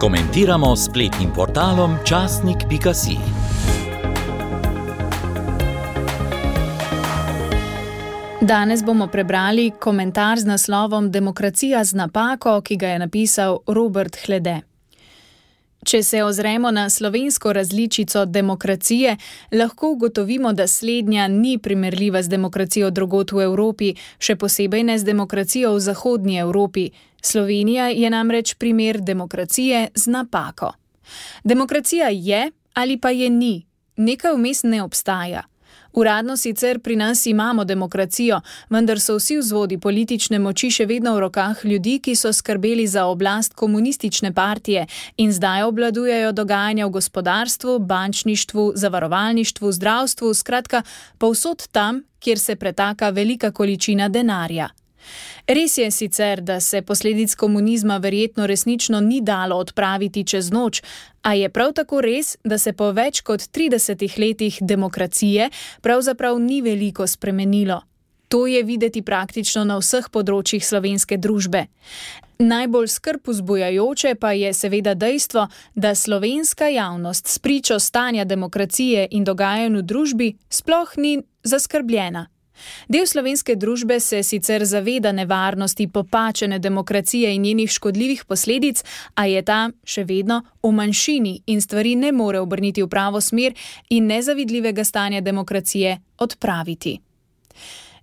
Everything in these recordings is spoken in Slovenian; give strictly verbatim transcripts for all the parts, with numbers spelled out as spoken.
Komentiramo s spletnim portalom časnik pika si. Danes bomo prebrali komentar z naslovom Demokracija z napako, ki ga je napisal Robert Hlede. Če se ozremo na slovensko različico demokracije, lahko ugotovimo, da slednja ni primerljiva z demokracijo drugod v Evropi, še posebej ne z demokracijo v zahodnji Evropi. Slovenija je namreč primer demokracije z napako. Demokracija je ali pa je ni, nekaj vmes ne obstaja. Uradno sicer pri nas imamo demokracijo, vendar so vsi vzvodi politične moči še vedno v rokah ljudi, ki so skrbeli za oblast komunistične partije in zdaj obvladujejo dogajanja v gospodarstvu, bančništvu, zavarovalništvu, zdravstvu, skratka povsod tam, kjer se pretaka velika količina denarja. Res je sicer, da se posledic komunizma verjetno resnično ni dalo odpraviti čez noč, a je prav tako res, da se po več kot tridesetih letih demokracije pravzaprav ni veliko spremenilo. To je videti praktično na vseh področjih slovenske družbe. Najbolj skrb vzbujajoče pa je seveda dejstvo, da slovenska javnost s pričo stanja demokracije in dogajanj v družbi sploh ni zaskrbljena. Del slovenske družbe se sicer zaveda nevarnosti popačene demokracije in njenih škodljivih posledic, a je ta še vedno v manjšini in stvari ne more obrniti v pravo smer in nezavidljivega stanja demokracije odpraviti.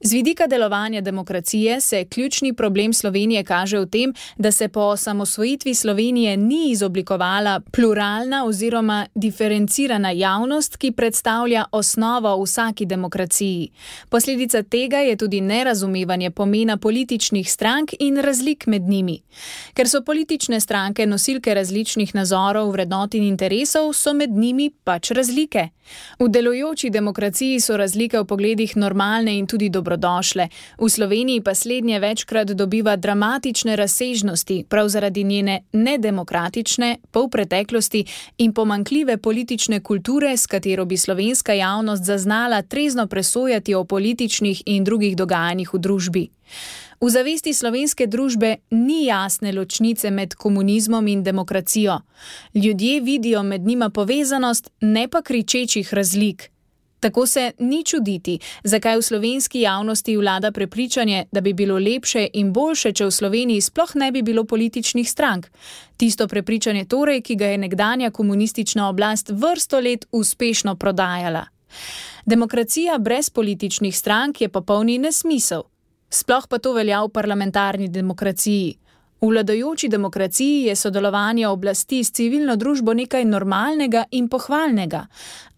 Z vidika delovanja demokracije se ključni problem Slovenije kaže v tem, da se po osamosvojitvi Slovenije ni izoblikovala pluralna oziroma diferencirana javnost, ki predstavlja osnovo vsaki demokraciji. Posledica tega je tudi nerazumevanje pomena političnih strank in razlik med njimi. Ker so politične stranke nosilke različnih nazorov, vrednot in interesov, so med njimi pač razlike. V delujoči demokraciji so razlike v pogledih normalne in tudi dobrodošle. V Sloveniji pa slednje večkrat dobiva dramatične razsežnosti, prav zaradi njene nedemokratične, polpreteklosti in pomanjkljive politične kulture, s katero bi slovenska javnost zaznala trezno presojati o političnih in drugih dogajanjih v družbi. V zavesti slovenske družbe ni jasne ločnice med komunizmom in demokracijo. Ljudje vidijo med njima povezanost, ne pa kričečih razlik. Tako se ni čuditi, zakaj v slovenski javnosti vlada prepričanje, da bi bilo lepše in boljše, če v Sloveniji sploh ne bi bilo političnih strank. Tisto prepričanje torej, ki ga je nekdanja komunistična oblast vrsto let uspešno prodajala. Demokracija brez političnih strank je popolni nesmisel. Sploh pa to velja v parlamentarni demokraciji. V vladajoči demokraciji je sodelovanje oblasti s civilno družbo nekaj normalnega in pohvalnega,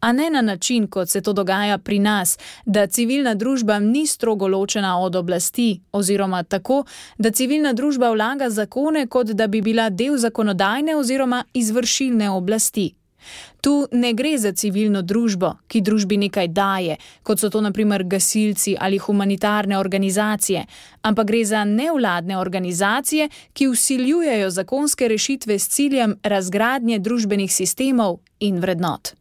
a ne na način, kot se to dogaja pri nas, da civilna družba ni strogo ločena od oblasti, oziroma tako, da civilna družba vlaga zakone, kot da bi bila del zakonodajne oziroma izvršilne oblasti. Tu ne gre za civilno družbo, ki družbi nekaj daje, kot so to na primer gasilci ali humanitarne organizacije, ampak gre za nevladne organizacije, ki vsiljujejo zakonske rešitve s ciljem razgradnje družbenih sistemov in vrednot.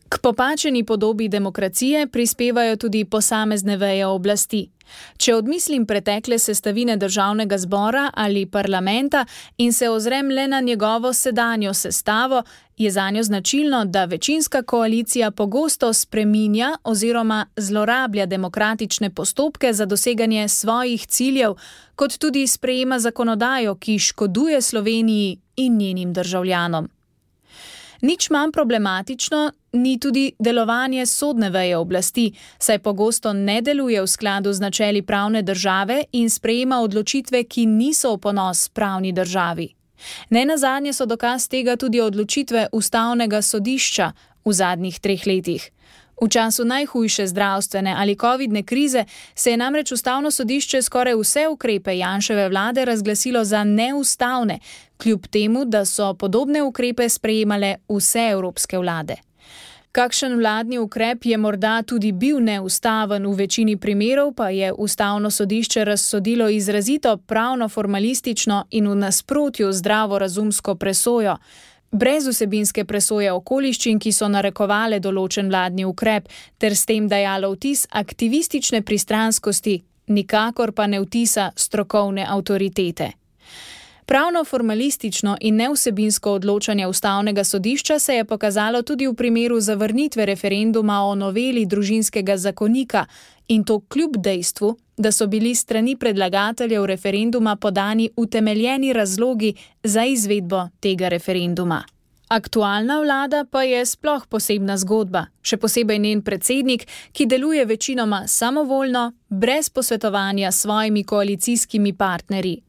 K popačeni podobi demokracije prispevajo tudi posamezne veje oblasti. Če odmislim pretekle sestavine državnega zbora ali parlamenta in se ozrem le na njegovo sedanjo sestavo, je zanjo značilno, da večinska koalicija pogosto spreminja oziroma zlorablja demokratične postopke za doseganje svojih ciljev, kot tudi sprejema zakonodajo, ki škoduje Sloveniji in njenim državljanom. Nič manj problematično ni tudi delovanje sodne veje oblasti, saj pogosto ne deluje v skladu z načeli pravne države in sprejema odločitve, ki niso v ponos pravni državi. Nenazadnje so dokaz tega tudi odločitve Ustavnega sodišča v zadnjih treh letih. V času najhujše zdravstvene ali covidne krize se je namreč Ustavno sodišče skoraj vse ukrepe Janševe vlade razglasilo za neustavne, kljub temu, da so podobne ukrepe sprejemale vse evropske vlade. Kakšen vladni ukrep je morda tudi bil neustaven, v večini primerov pa je Ustavno sodišče razsodilo izrazito pravno-formalistično in v nasprotju zdravorazumsko presojo, brez vsebinske presoje okoliščin, ki so narekovale določen vladni ukrep, ter s tem dajalo vtis aktivistične pristranskosti, nikakor pa ne vtisa strokovne avtoritete. Pravno formalistično in nevsebinsko odločanje ustavnega sodišča se je pokazalo tudi v primeru zavrnitve referenduma o noveli družinskega zakonika, in to kljub dejstvu, da so bili strani predlagateljev referenduma podani utemeljeni razlogi za izvedbo tega referenduma. Aktualna vlada pa je sploh posebna zgodba, še posebej njen predsednik, ki deluje večinoma samovoljno, brez posvetovanja s svojimi koalicijskimi partnerji.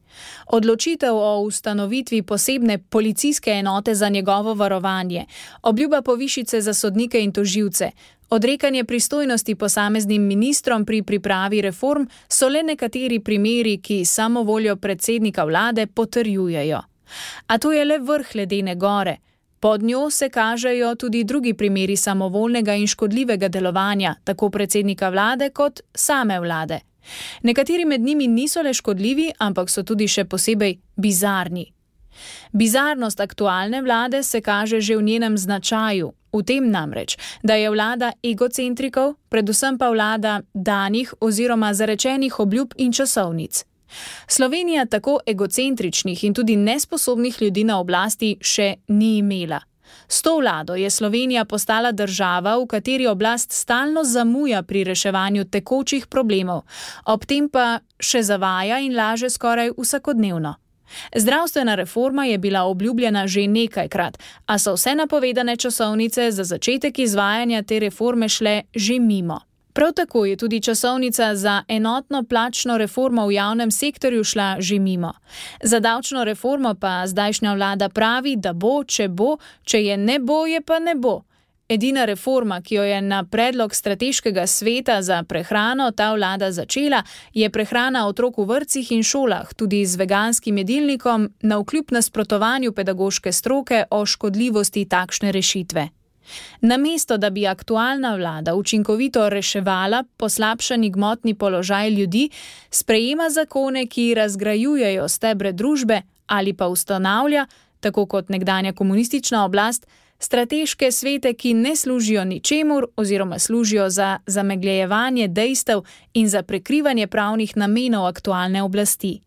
Odločitev o ustanovitvi posebne policijske enote za njegovo varovanje, obljuba povišice za sodnike in tožilce, odrekanje pristojnosti posameznim ministrom pri pripravi reform so le nekateri primeri, ki samovoljo predsednika vlade potrjujejo. A to je le vrh ledene gore. Pod njo se kažejo tudi drugi primeri samovoljnega in škodljivega delovanja, tako predsednika vlade kot same vlade. Nekateri med njimi niso le škodljivi, ampak so tudi še posebej bizarni. Bizarnost aktualne vlade se kaže že v njenem značaju, v tem namreč, da je vlada egocentrikov, predvsem pa vlada danih oziroma zarečenih obljub in časovnic. Slovenija tako egocentričnih in tudi nesposobnih ljudi na oblasti še ni imela. S to vlado je Slovenija postala država, v kateri oblast stalno zamuja pri reševanju tekočih problemov, ob tem pa še zavaja in laže skoraj vsakodnevno. Zdravstvena reforma je bila obljubljena že nekajkrat, a so vse napovedane časovnice za začetek izvajanja te reforme šle že mimo. Prav tako je tudi časovnica za enotno plačno reformo v javnem sektorju šla že mimo. Za davčno reformo pa zdajšnja vlada pravi, da bo, če bo, če je ne bo, je pa ne bo. Edina reforma, ki jo je na predlog strateškega sveta za prehrano ta vlada začela, je prehrana otrok v vrtcih in šolah, tudi z veganskim jedilnikom, navkljub nasprotovanju pedagoške stroke o škodljivosti takšne rešitve. Namesto, da bi aktualna vlada učinkovito reševala poslabšani gmotni položaj ljudi, sprejema zakone, ki razgrajujejo stebre družbe ali pa ustanavlja, tako kot nekdanja komunistična oblast, strateške svete, ki ne služijo ničemur oziroma služijo za zamegljevanje dejstev in za prekrivanje pravnih namenov aktualne oblasti.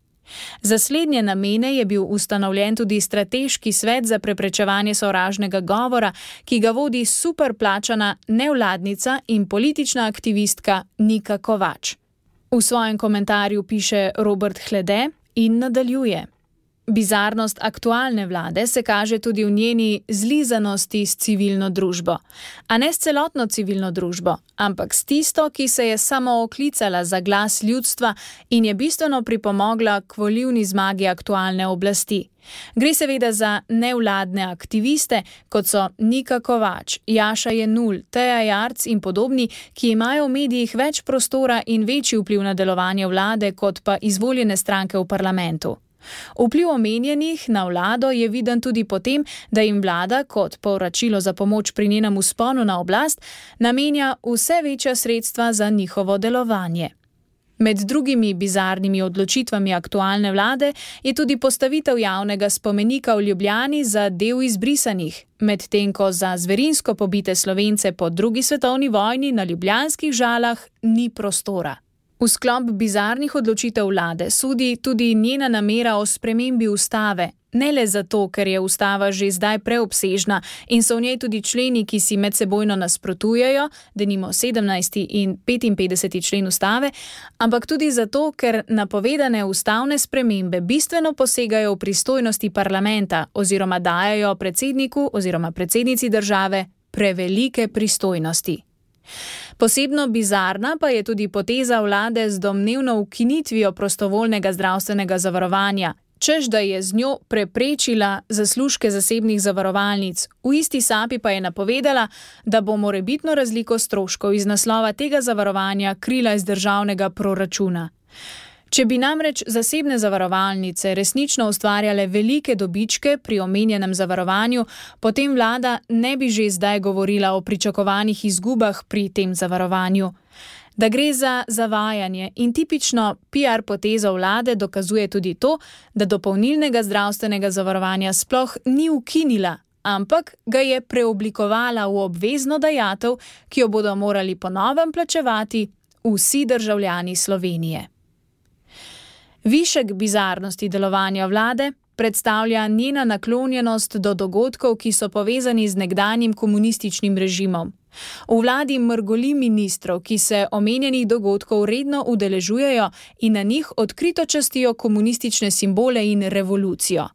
Za slednje namene je bil ustanovljen tudi strateški svet za preprečevanje sovražnega govora, ki ga vodi superplačana nevladnica in politična aktivistka Nika Kovač. V svojem komentarju piše Robert Hlede in nadaljuje. Bizarnost aktualne vlade se kaže tudi v njeni zlizanosti s civilno družbo. A ne s celotno civilno družbo, ampak s tisto, ki se je samo oklicala za glas ljudstva in je bistveno pripomogla k volilni zmagi aktualne oblasti. Gre seveda za nevladne aktiviste, kot so Nika Kovač, Jaša Jenull, Teja Jarc in podobni, ki imajo v medijih več prostora in večji vpliv na delovanje vlade, kot pa izvoljene stranke v parlamentu. Vpliv omenjenih na vlado je viden tudi potem, da jim vlada, kot povračilo za pomoč pri njenem vzponu na oblast, namenja vse večja sredstva za njihovo delovanje. Med drugimi bizarnimi odločitvami aktualne vlade je tudi postavitev javnega spomenika v Ljubljani za del izbrisanih, medtem ko za zverinsko pobite Slovence po drugi svetovni vojni na ljubljanskih Žalah ni prostora. V sklop bizarnih odločitev vlade sodi tudi njena namera o spremembi ustave, ne le zato, ker je ustava že zdaj preobsežna in so v njej tudi členi, ki si medsebojno nasprotujejo, denimo sedemnajsti in petinpetdeseti člen ustave, ampak tudi zato, ker napovedane ustavne spremembe bistveno posegajo v pristojnosti parlamenta oziroma dajajo predsedniku oziroma predsednici države prevelike pristojnosti. Posebno bizarna pa je tudi poteza vlade z domnevno ukinitvijo prostovoljnega zdravstvenega zavarovanja, češ da je z njo preprečila zaslužke zasebnih zavarovalnic, v isti sapi pa je napovedala, da bo morebitno razliko stroškov iz naslova tega zavarovanja krila iz državnega proračuna. Če bi namreč zasebne zavarovalnice resnično ustvarjale velike dobičke pri omenjenem zavarovanju, potem vlada ne bi že zdaj govorila o pričakovanih izgubah pri tem zavarovanju. Da gre za zavajanje in tipično P R potezo vlade dokazuje tudi to, da dopolnilnega zdravstvenega zavarovanja sploh ni ukinila, ampak ga je preoblikovala v obvezno dajatev, ki jo bodo morali po novem plačevati vsi državljani Slovenije. Višek bizarnosti delovanja vlade predstavlja njena naklonjenost do dogodkov, ki so povezani z nekdanjim komunističnim režimom. V vladi mrgoli ministrov, ki se omenjenih dogodkov redno udeležujejo in na njih odkrito častijo komunistične simbole in revolucijo.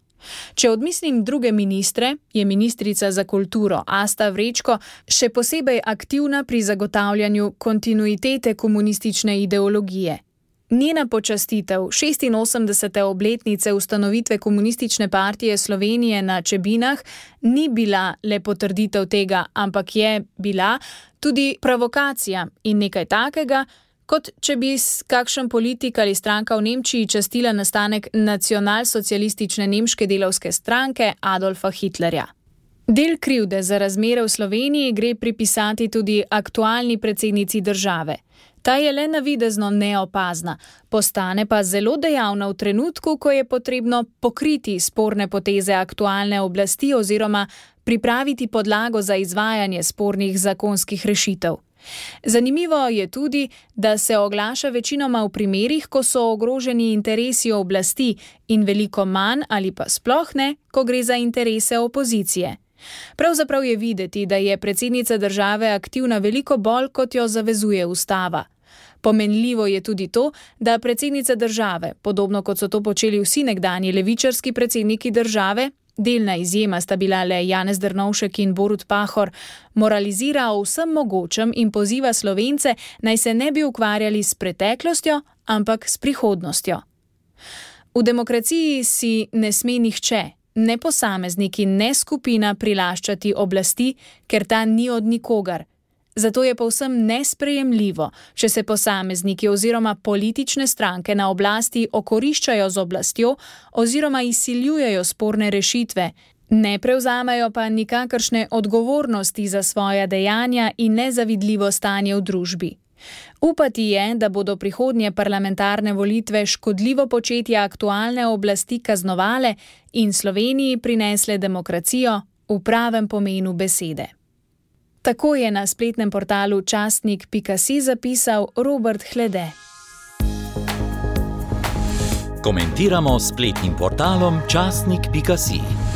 Če odmislim druge ministre, je ministrica za kulturo Asta Vrečko še posebej aktivna pri zagotavljanju kontinuitete komunistične ideologije. Njena počastitev šestinosemdesete obletnice ustanovitve Komunistične partije Slovenije na Čebinah ni bila le potrditev tega, ampak je bila tudi provokacija in nekaj takega, kot če bi kakšen politik ali stranka v Nemčiji častila nastanek nacionalsocialistične nemške delavske stranke Adolfa Hitlerja. Del krivde za razmere v Sloveniji gre pripisati tudi aktualni predsednici države. Ta je le navidezno neopazna, postane pa zelo dejavna v trenutku, ko je potrebno pokriti sporne poteze aktualne oblasti oziroma pripraviti podlago za izvajanje spornih zakonskih rešitev. Zanimivo je tudi, da se oglaša večinoma v primerih, ko so ogroženi interesi oblasti in veliko manj ali pa sploh ne, ko gre za interese opozicije. Pravzaprav je videti, da je predsednica države aktivna veliko bolj, kot jo zavezuje ustava. Pomenljivo je tudi to, da predsednica države, podobno kot so to počeli vsi nekdanji levičarski predsedniki države, delna izjema sta bila le Janez Drnovšek in Borut Pahor, moralizira o vsem mogočem in poziva Slovence, naj se ne bi ukvarjali s preteklostjo, ampak s prihodnostjo. V demokraciji si ne sme nihče, ne posameznik in ne skupina prilaščati oblasti, ker ta ni od nikogar. Zato je povsem nesprejemljivo, če se posamezniki oziroma politične stranke na oblasti okoriščajo z oblastjo oziroma izsiljujejo sporne rešitve, ne prevzamejo pa nikakršne odgovornosti za svoja dejanja in nezavidljivo stanje v družbi. Upati je, da bodo prihodnje parlamentarne volitve škodljivo početje aktualne oblasti kaznovale in Sloveniji prinesle demokracijo v pravem pomenu besede. Tako je na spletnem portalu časnik pika si zapisal Robert Hlede. Komentiramo s spletnim portalom časnik pika si.